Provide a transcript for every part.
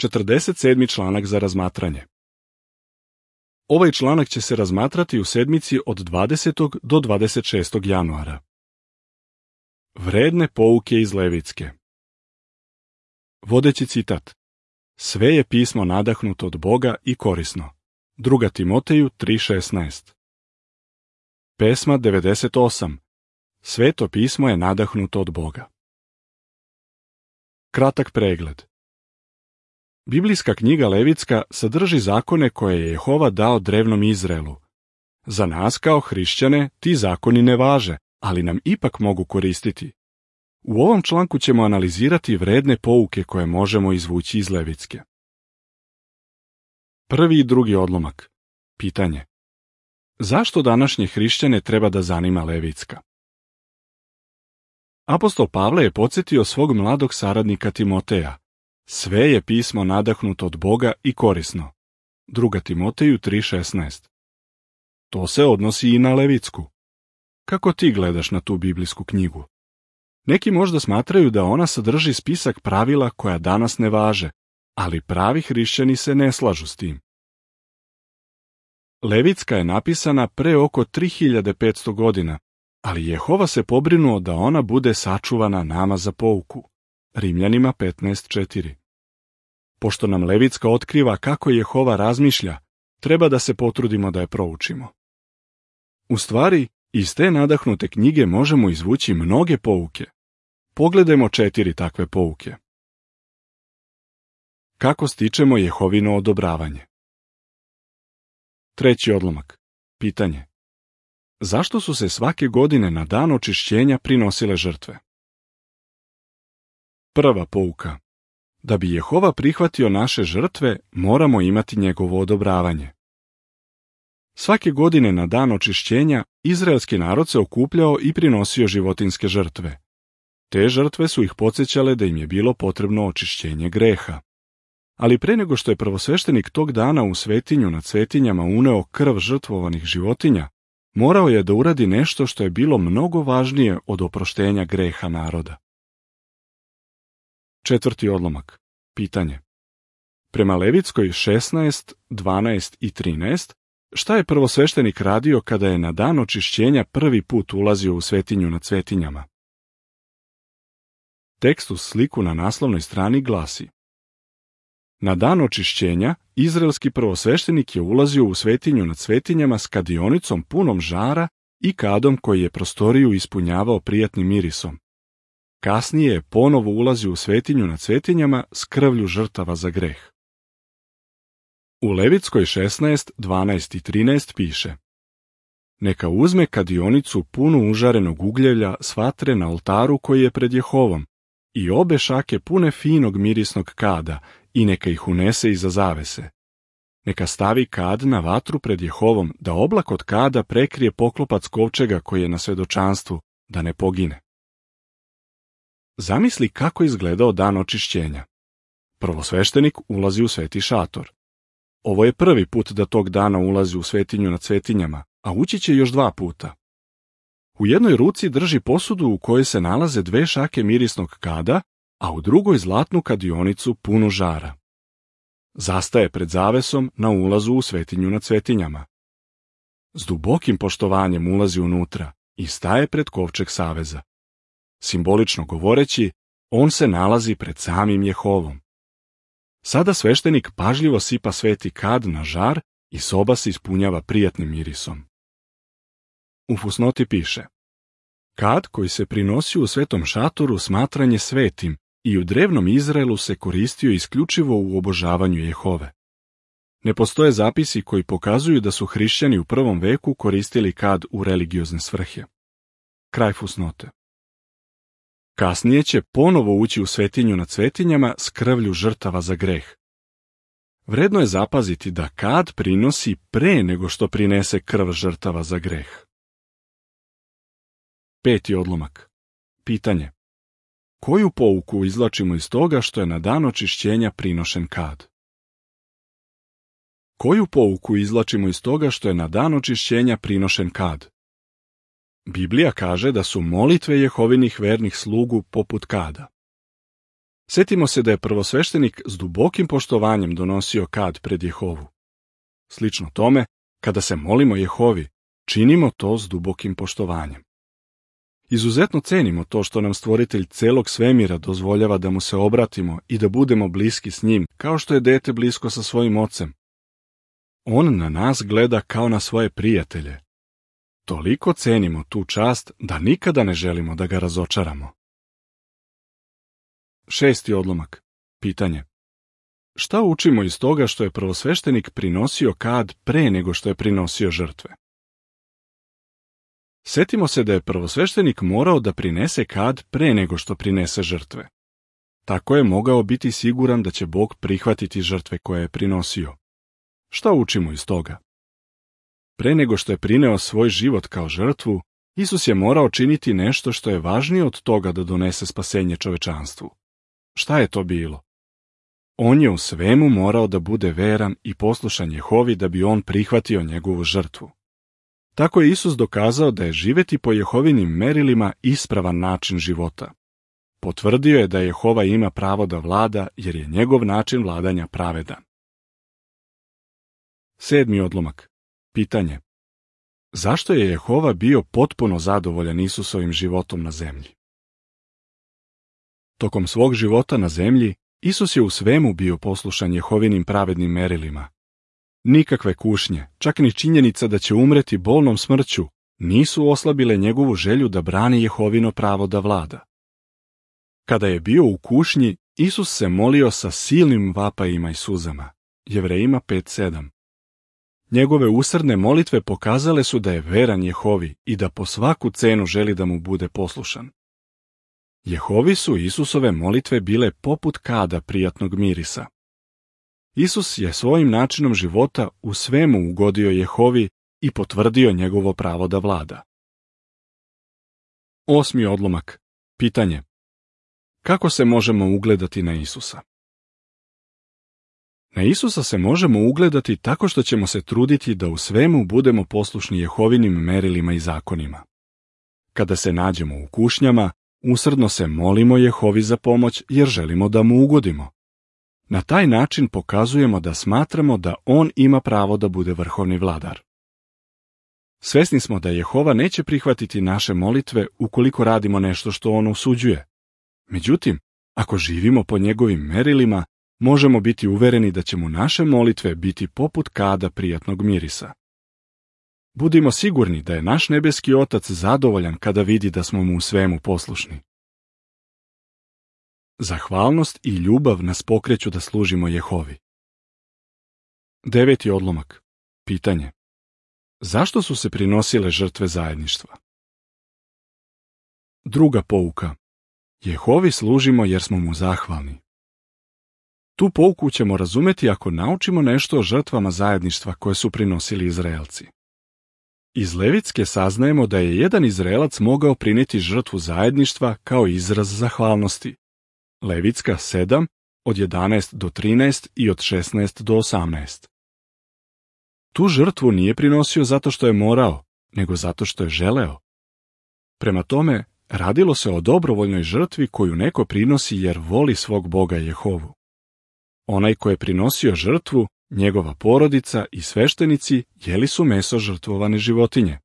47. članak za razmatranje. Ovaj članak će se razmatrati u sedmici od 20. do 26. januara. Vredne pouke iz Levitske. Vodeći citat. Sve je pismo nadahnuto od Boga i korisno. 2. Timoteju 3.16. Pesma 98. Sveto pismo je nadahnuto od Boga. Kratak pregled. Biblijska knjiga Levitska sadrži zakone koje je Jehova dao drevnom Izraelu. Za nas kao hrišćane ti zakoni ne važe, ali nam ipak mogu koristiti. U ovom članku ćemo analizirati vredne pouke koje možemo izvući iz Levitske. Prvi i drugi odlomak. Pitanje. Zašto današnje hrišćane treba da zanima Levitska? Apostol Pavle je podsjetio svog mladog saradnika Timoteja. Sve je pismo nadahnuto od Boga i korisno. 2. Timoteju 3.16. To se odnosi i na Levitsku. Kako ti gledaš na tu biblijsku knjigu? Neki možda smatraju da ona sadrži spisak pravila koja danas ne važe, ali pravi hrišćani se ne slažu s tim. Levitska je napisana pre oko 3500 godina, ali Jehova se pobrinuo da ona bude sačuvana nama za pouku. Rimljanima 15.4. Pošto nam Levitska otkriva kako Jehova razmišlja, treba da se potrudimo da je proučimo. U stvari, iz te nadahnute knjige možemo izvući mnoge pouke. Pogledajmo 4 takve pouke. Kako stičemo Jehovino odobravanje? Treći odlomak. Pitanje. Zašto su se svake godine na dan očišćenja prinosile žrtve? Prva pouka. Da bi Jehova prihvatio naše žrtve, moramo imati njegovo odobravanje. Svake godine na dan očišćenja, izraelski narod se okupljao i prinosio životinjske žrtve. Te žrtve su ih podsjećale da im je bilo potrebno očišćenje greha. Ali pre nego što je prvosveštenik tog dana u svetinju nad svetinjama uneo krv žrtvovanih životinja, morao je da uradi nešto što je bilo mnogo važnije od oproštenja greha naroda. Četvrti odlomak. Pitanje. Prema Levitskoj 16, 12 i 13, šta je prvosveštenik radio kada je na dan očišćenja prvi put ulazio u svetinju nad svetinjama? Tekst uz sliku na naslovnoj strani glasi: Na dan očišćenja, izraelski prvosveštenik je ulazio u svetinju nad svetinjama s kadionicom punom žara i kadom koji je prostoriju ispunjavao prijatnim mirisom. Kasnije je ponovo ulazio u svetinju nad svetinjama s krvlju žrtava za greh. U Levitskoj 16, 12 i 13 piše: Neka uzme kadionicu punu užarenog ugljevlja s vatre na oltaru koji je pred Jehovom i obe šake pune finog mirisnog kada i neka ih unese iza zavese. Neka stavi kad na vatru pred Jehovom da oblak od kada prekrije poklopac kovčega koji je na svedočanstvu, da ne pogine. Zamisli kako izgledao dan očišćenja. Prvosveštenik ulazi u sveti šator. Ovo je prvi put da tog dana ulazi u svetinju nad svetinjama, a ući će još 2 puta. U jednoj ruci drži posudu u kojoj se nalaze 2 šake mirisnog kada, a u drugoj zlatnu kadionicu punu žara. Zastaje pred zavesom na ulazu u svetinju nad svetinjama. S dubokim poštovanjem ulazi unutra i staje pred kovčeg saveza. Simbolično govoreći, on se nalazi pred samim Jehovom. Sada sveštenik pažljivo sipa sveti kad na žar i soba se ispunjava prijatnim mirisom. U fusnoti piše: Kad koji se prinosi u svetom šatoru smatran je svetim i u drevnom Izraelu se koristio isključivo u obožavanju Jehove. Ne postoje zapisi koji pokazuju da su hrišćani u prvom veku koristili kad u religiozne svrhe. Kraj fusnote. Kasnije će ponovo ući u svetinju nad svetinjama s krvlju žrtava za greh. Vredno je zapaziti da kad prinosi pre nego što prinese krv žrtava za greh. Peti odlomak. Pitanje. Koju pouku izvlačimo iz toga što je na dan očišćenja prinošen kad? Koju pouku izvlačimo iz toga što je na dan očišćenja prinošen kad? Biblija kaže da su molitve Jehovinih vernih slugu poput kada. Sjetimo se da je prvosveštenik s dubokim poštovanjem donosio kad pred Jehovu. Slično tome, kada se molimo Jehovi, činimo to s dubokim poštovanjem. Izuzetno cenimo to što nam Stvoritelj celog svemira dozvoljava da mu se obratimo i da budemo bliski s njim, kao što je dete blisko sa svojim ocem. On na nas gleda kao na svoje prijatelje. Toliko cenimo tu čast da nikada ne želimo da ga razočaramo. 6. odlomak. Pitanje. Šta učimo iz toga što je prvosveštenik prinosio kad pre nego što je prinosio žrtve? Sjetimo se da je prvosveštenik morao da prinese kad pre nego što prinese žrtve. Tako je mogao biti siguran da će Bog prihvatiti žrtve koje je prinosio. Šta učimo iz toga? Pre nego što je prineo svoj život kao žrtvu, Isus je morao činiti nešto što je važnije od toga da donese spasenje čovečanstvu. Šta je to bilo? On je u svemu morao da bude veran i poslušan Jehovi da bi on prihvatio njegovu žrtvu. Tako je Isus dokazao da je živeti po Jehovinim merilima ispravan način života. Potvrdio je da Jehova ima pravo da vlada jer je njegov način vladanja pravedan. 7. odlomak. Pitanje. Zašto je Jehova bio potpuno zadovoljan Isusovim životom na zemlji? Tokom svog života na zemlji, Isus je u svemu bio poslušan Jehovinim pravednim merilima. Nikakve kušnje, čak ni činjenica da će umreti bolnom smrću, nisu oslabile njegovu želju da brani Jehovino pravo da vlada. Kada je bio u kušnji, Isus se molio sa silnim vapajima i suzama. Jevrejima 5:7. Njegove usrdne molitve pokazale su da je veran Jehovi i da po svaku cenu želi da mu bude poslušan. Jehovi su Isusove molitve bile poput kada prijatnog mirisa. Isus je svojim načinom života u svemu ugodio Jehovi i potvrdio njegovo pravo da vlada. 8. odlomak. Pitanje. Kako se možemo ugledati na Isusa? Na Isusa se možemo ugledati tako što ćemo se truditi da u svemu budemo poslušni Jehovinim merilima i zakonima. Kada se nađemo u kušnjama, usrdno se molimo Jehovi za pomoć jer želimo da mu ugodimo. Na taj način pokazujemo da smatramo da on ima pravo da bude vrhovni vladar. Svesni smo da Jehova neće prihvatiti naše molitve ukoliko radimo nešto što on osuđuje. Međutim, ako živimo po njegovim merilima, možemo biti uvereni da će mu naše molitve biti poput kada prijatnog mirisa. Budimo sigurni da je naš nebeski Otac zadovoljan kada vidi da smo mu u svemu poslušni. Zahvalnost i ljubav nas pokreću da služimo Jehovi. 9. odlomak. Pitanje. Zašto su se prinosile žrtve zajedništva? Druga pouka. Jehovi služimo jer smo mu zahvalni. Tu pouku ćemo razumeti ako naučimo nešto o žrtvama zajedništva koje su prinosili Izraelci. Iz Levitske saznajemo da je jedan Izraelac mogao prinijeti žrtvu zajedništva kao izraz zahvalnosti. Levitska 7, od 11 do 13 i od 16 do 18. Tu žrtvu nije prinosio zato što je morao, nego zato što je želeo. Prema tome, radilo se o dobrovoljnoj žrtvi koju neko prinosi jer voli svog Boga Jehovu. Onaj ko je prinosio žrtvu, njegova porodica i sveštenici jeli su meso žrtvovane životinje.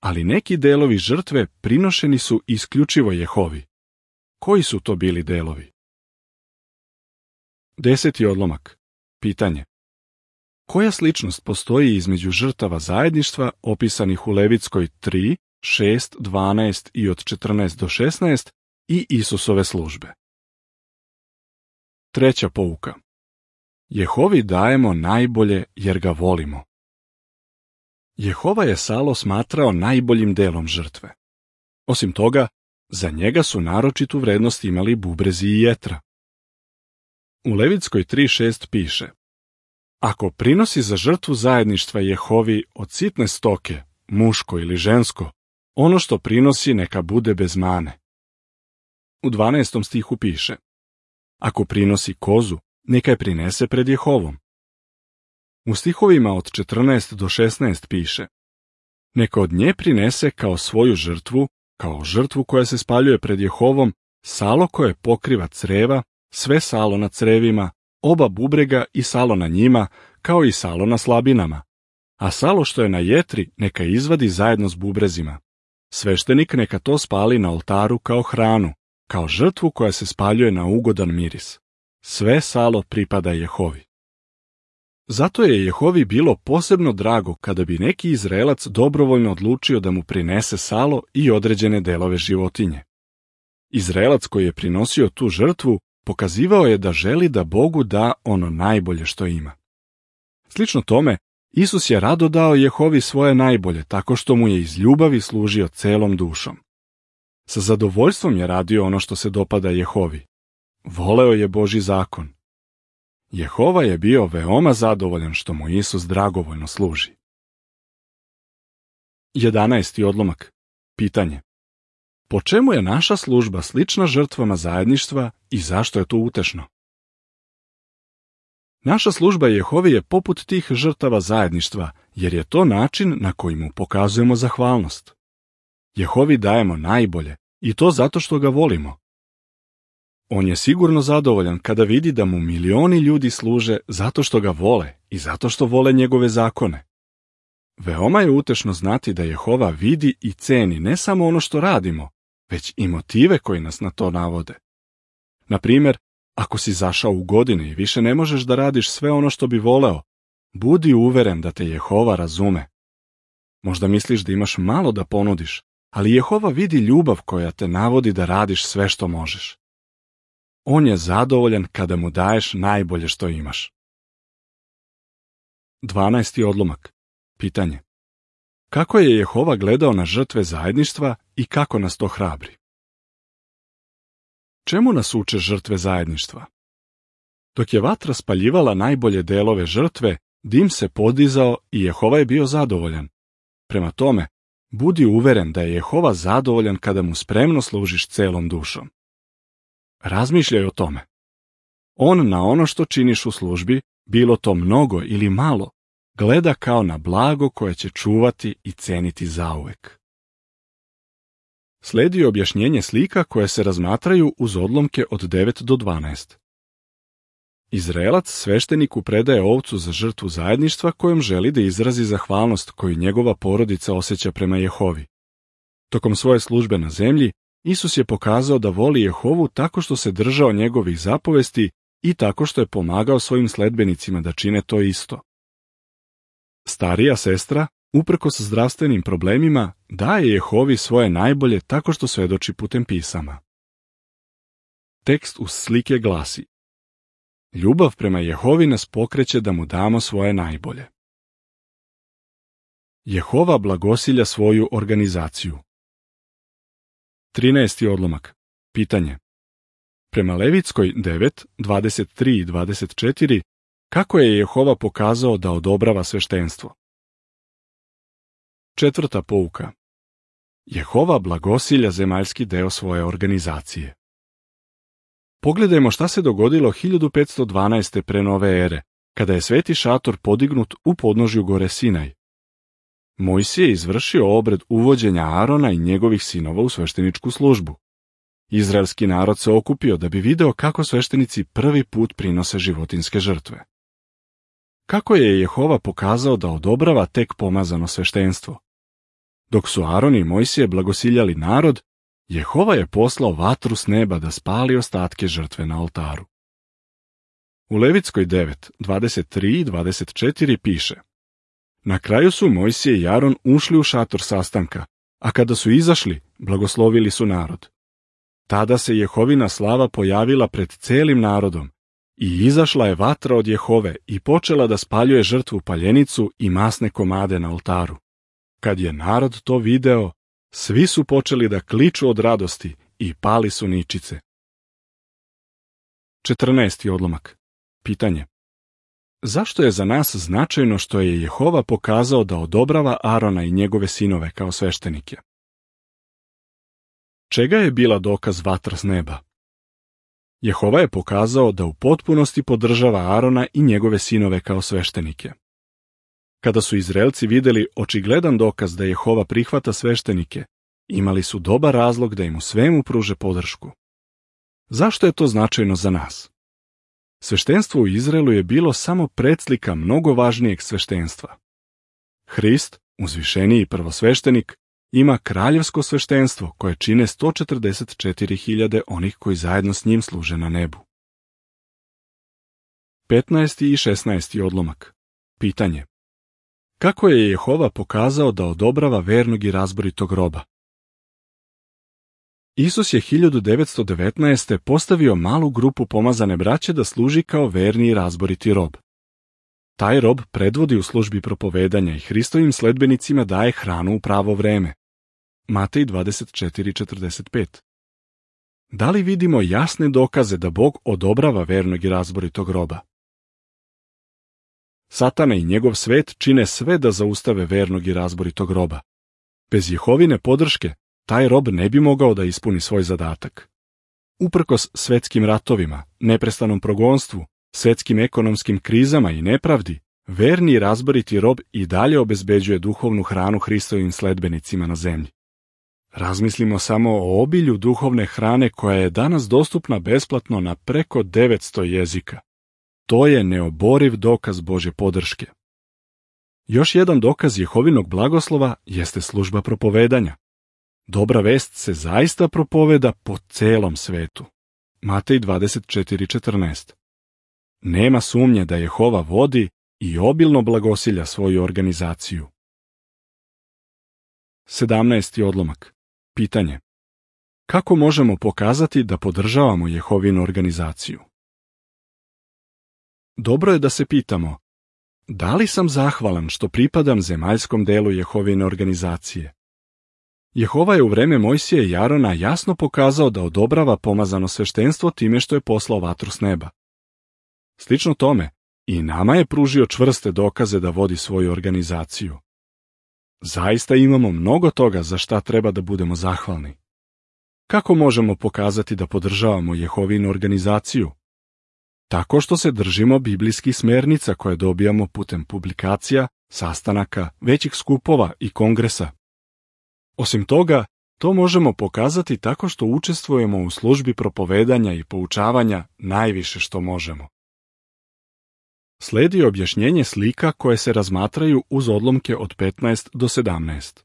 Ali neki delovi žrtve prinošeni su isključivo Jehovi. Koji su to bili delovi? 10. odlomak. Pitanje. Koja sličnost postoji između žrtava zajedništva opisanih u Levitskoj 3, 6, 12 i od 14 do 16 i Isusove službe? Treća pouka. Jehovi dajemo najbolje jer ga volimo. Jehova je salo smatrao najboljim delom žrtve. Osim toga, za njega su naročitu vrednost imali bubrezi i jetra. U Levitskoj 3.6 piše: Ako prinosi za žrtvu zajedništva Jehovi od sitne stoke, muško ili žensko, ono što prinosi neka bude bez mane. U 12. stihu piše: Ako prinosi kozu, neka je prinese pred Jehovom. U stihovima od 14 do 16 piše: Neka od nje prinese kao svoju žrtvu, kao žrtvu koja se spaljuje pred Jehovom, salo koje pokriva creva, sve salo na crevima, oba bubrega i salo na njima, kao i salo na slabinama. A salo što je na jetri neka izvadi zajedno s bubrezima. Sveštenik neka to spali na oltaru kao hranu, kao žrtvu koja se spaljuje na ugodan miris. Sve salo pripada Jehovi. Zato je Jehovi bilo posebno drago kada bi neki Izraelac dobrovoljno odlučio da mu prinese salo i određene delove životinje. Izraelac koji je prinosio tu žrtvu pokazivao je da želi da Bogu da ono najbolje što ima. Slično tome, Isus je rado dao Jehovi svoje najbolje tako što mu je iz ljubavi služio celom dušom. Sa zadovoljstvom je radio ono što se dopada Jehovi. Voleo je Božji zakon. Jehova je bio veoma zadovoljan što mu Isus dragovoljno služi. 11. odlomak. Pitanje. Po čemu je naša služba slična žrtvama zajedništva i zašto je to utešno? Naša služba Jehovi je poput tih žrtava zajedništva, jer je to način na koji mu pokazujemo zahvalnost. Jehovi dajemo najbolje, i to zato što ga volimo. On je sigurno zadovoljan kada vidi da mu milioni ljudi služe zato što ga vole i zato što vole njegove zakone. Veoma je utešno znati da Jehova vidi i ceni ne samo ono što radimo, već i motive koji nas na to navode. Na primjer, ako si zašao u godine i više ne možeš da radiš sve ono što bi voleo, budi uveren da te Jehova razume. Možda misliš da imaš malo da ponudiš, ali Jehova vidi ljubav koja te navodi da radiš sve što možeš. On je zadovoljan kada mu daješ najbolje što imaš. 12. odlomak. Pitanje. Kako je Jehova gledao na žrtve zajedništva i kako nas to hrabri? Čemu nas uče žrtve zajedništva? Dok je vatra spaljivala najbolje delove žrtve, dim se podizao i Jehova je bio zadovoljan. Prema tome, budi uveren da je Jehova zadovoljan kada mu spremno služiš celom dušom. Razmišljaj o tome. On na ono što činiš u službi, bilo to mnogo ili malo, gleda kao na blago koje će čuvati i ceniti zauvek. Sledi objašnjenje slika koje se razmatraju uz odlomke od 9 do 12. Izraelac svešteniku predaje ovcu za žrtvu zajedništva kojom želi da izrazi zahvalnost koju njegova porodica osjeća prema Jehovi. Tokom svoje službe na zemlji, Isus je pokazao da voli Jehovu tako što se držao njegovih zapovesti i tako što je pomagao svojim sledbenicima da čine to isto. Starija sestra, uprkos zdravstvenim problemima, daje Jehovi svoje najbolje tako što svedoči putem pisama. Tekst uz slike glasi: Ljubav prema Jehovi nas pokreće da mu damo svoje najbolje. Jehova blagosilja svoju organizaciju. 13. odlomak. Pitanje. Prema Levitskoj 9, 23 i 24, kako je Jehova pokazao da odobrava sveštenstvo? 4. pouka. Jehova blagosilja zemaljski deo svoje organizacije. Pogledajmo šta se dogodilo 1512. pre nove ere, kada je sveti šator podignut u podnožju gore Sinaj. Mojsije je izvršio obred uvođenja Arona i njegovih sinova u svešteničku službu. Izraelski narod se okupio da bi video kako sveštenici prvi put prinose životinjske žrtve. Kako je Jehova pokazao da odobrava tek pomazano sveštenstvo? Dok su Aron i Mojsije blagosiljali narod, Jehova je poslao vatru s neba da spali ostatke žrtve na oltaru. U Levitskoj 9, 23 i 24 piše: Na kraju su Mojsije i Aron ušli u šator sastanka, a kada su izašli, blagoslovili su narod. Tada se Jehovina slava pojavila pred celim narodom i izašla je vatra od Jehove i počela da spaljuje žrtvu paljenicu i masne komade na oltaru. Kad je narod to video, svi su počeli da kliču od radosti i pali su ničice. 14. odlomak. Pitanje. Zašto je za nas značajno što je Jehova pokazao da odobrava Arona i njegove sinove kao sveštenike? Čega je bila dokaz vatra s neba? Jehova je pokazao da u potpunosti podržava Arona i njegove sinove kao sveštenike. Kada su Izraelci videli očigledan dokaz da Jehova prihvata sveštenike, imali su dobar razlog da im u svemu pruže podršku. Zašto je to značajno za nas? Sveštenstvo u Izraelu je bilo samo predslika mnogo važnijeg sveštenstva. Hrist, uzvišeniji prvosveštenik, ima kraljevsko sveštenstvo koje čine 144.000 onih koji zajedno s njim služe na nebu. 15. i 16. odlomak. Pitanje. Kako je Jehova pokazao da odobrava vernog i razboritog roba? Isus je 1919. postavio malu grupu pomazane braće da služi kao verni i razboriti rob. Taj rob predvodi u službi propovedanja i Hristovim sledbenicima daje hranu u pravo vreme. Matej 24:45. Da li vidimo jasne dokaze da Bog odobrava vernog i razboritog roba? Satana i njegov svet čine sve da zaustave vernog i razboritog roba. Bez Jehovine podrške, taj rob ne bi mogao da ispuni svoj zadatak. Uprkos svetskim ratovima, neprestanom progonstvu, svetskim ekonomskim krizama i nepravdi, verni i razboriti rob i dalje obezbeđuje duhovnu hranu Hristovim sledbenicima na zemlji. Razmislimo samo o obilju duhovne hrane koja je danas dostupna besplatno na preko 900 jezika. To je neoboriv dokaz Božje podrške. Još jedan dokaz Jehovinog blagoslova jeste služba propovedanja. Dobra vest se zaista propoveda po celom svetu. Matej 24:14. Nema sumnje da Jehova vodi i obilno blagosilja svoju organizaciju. 17. odlomak. Pitanje. Kako možemo pokazati da podržavamo Jehovinu organizaciju? Dobro je da se pitamo, da li sam zahvalan što pripadam zemaljskom delu Jehovine organizacije? Jehova je u vreme Mojsija i Arona jasno pokazao da odobrava pomazano sveštenstvo time što je poslao vatru s neba. Slično tome, i nama je pružio čvrste dokaze da vodi svoju organizaciju. Zaista imamo mnogo toga za šta treba da budemo zahvalni. Kako možemo pokazati da podržavamo Jehovinu organizaciju? Tako što se držimo biblijskih smernica koje dobijamo putem publikacija, sastanaka, većih skupova i kongresa. Osim toga, to možemo pokazati tako što učestvujemo u službi propovedanja i poučavanja najviše što možemo. Sledi objašnjenje slika koje se razmatraju uz odlomke od 15 do 17.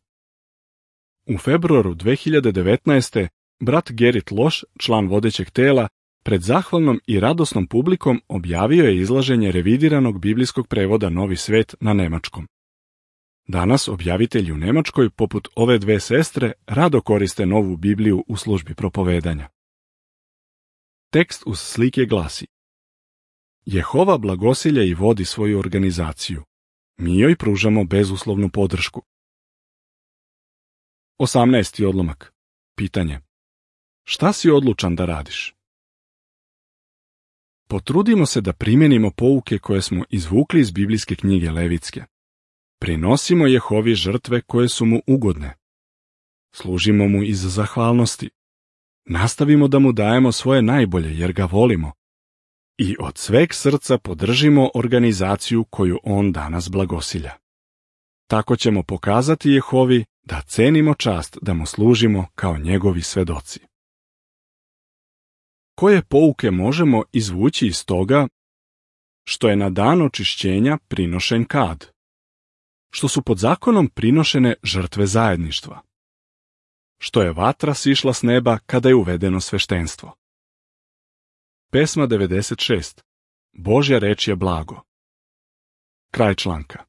U februaru 2019. brat Gerrit Loš, član vodećeg tela, pred zahvalnom i radosnom publikom objavio je izlaženje revidiranog biblijskog prevoda Novi svet na nemačkom. Danas objavitelji u Nemačkoj, poput ove dve sestre, rado koriste novu Bibliju u službi propovedanja. Tekst uz slike glasi: Jehova blagosilja i vodi svoju organizaciju. Mi joj pružamo bezuslovnu podršku. 18. odlomak. Pitanje. Šta si odlučan da radiš? Potrudimo se da primenimo pouke koje smo izvukli iz biblijske knjige Levitske. Prinosimo Jehovi žrtve koje su mu ugodne. Služimo mu iz zahvalnosti. Nastavimo da mu dajemo svoje najbolje jer ga volimo. I od sveg srca podržimo organizaciju koju on danas blagosilja. Tako ćemo pokazati Jehovi da cenimo čast da mu služimo kao njegovi svedoci. Koje pouke možemo izvući iz toga što je na dan očišćenja prinošen kad? Što su pod zakonom prinošene žrtve zajedništva? Što je vatra sišla s neba kada je uvedeno sveštenstvo? Pesma 96. Božja reč je blago. Kraj članka.